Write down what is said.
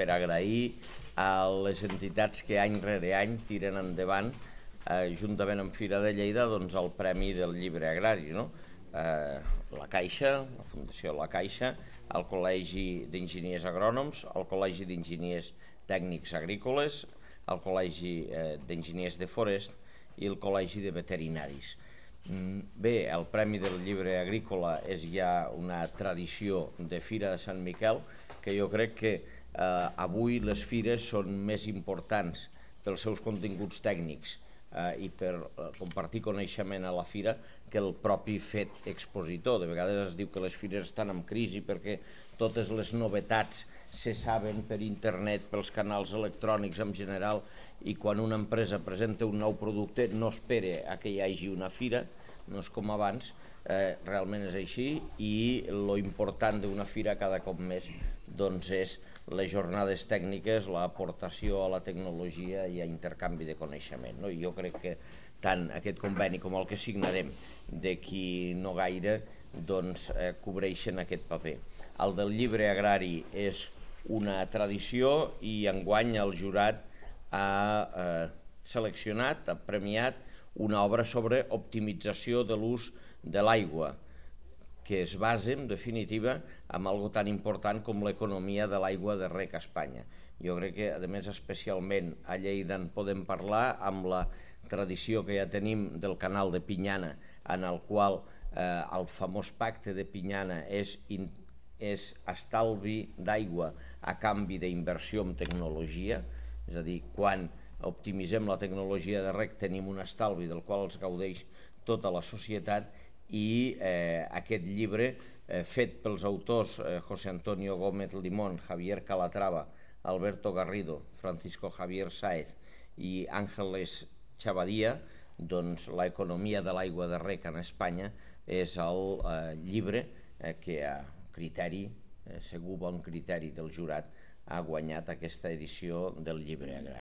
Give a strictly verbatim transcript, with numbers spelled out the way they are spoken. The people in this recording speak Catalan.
per agrair a les entitats que any rere any tiren endavant, eh, juntament amb Fira de Lleida, doncs, el Premi del Llibre Agrari, no? Eh, la Caixa, la Fundació La Caixa, el Col·legi d'Enginyers Agrònoms, el Col·legi d'Enginyers Tècnics Agrícoles, el Col·legi eh, d'Enginyers de Forest i el Col·legi de Veterinaris. Bé, el Premi del Llibre Agrícola és ja una tradició de Fira de Sant Miquel, que jo crec que eh, avui les fires són més importants pels seus continguts tècnics eh, i per eh, compartir coneixement a la fira que el propi fet expositor. De vegades es diu que les fires estan en crisi perquè totes les novetats se saben per internet, pels canals electrònics en general, i quan una empresa presenta un nou producte no espera a que hi hagi una fira, no és com abans, eh, realment és així, i lo important d'una fira cada cop més doncs, és les jornades tècniques, l'aportació a la tecnologia i a intercanvi de coneixement. No? I jo crec que tant aquest conveni com el que signarem d'aquí no gaire doncs, eh, cobreixen aquest paper. El del llibre agrari és una tradició i enguany el jurat ha eh, seleccionat, ha premiat una obra sobre optimització de l'ús de l'aigua, que es basa, en definitiva, en algo tan important com l'economia de l'aigua de rec a Espanya. Jo crec que, a més, especialment a Lleida en podem parlar amb la tradició que ja tenim del canal de Pinyana, en el qual eh, el famós pacte de Pinyana és, in, és estalvi d'aigua a canvi d'inversió en tecnologia, és a dir, quan optimitzem la tecnologia de rec tenim un estalvi del qual els gaudeix tota la societat, i eh, aquest llibre eh, fet pels autors eh, José Antonio Gómez Limón, Javier Calatrava, Alberto Garrido, Francisco Javier Sáez i Ángeles Chavadía, doncs l'economia de l'aigua de rec en Espanya és el eh, llibre eh, que a criteri, eh, segur bon criteri del jurat, ha guanyat aquesta edició del llibre agrari.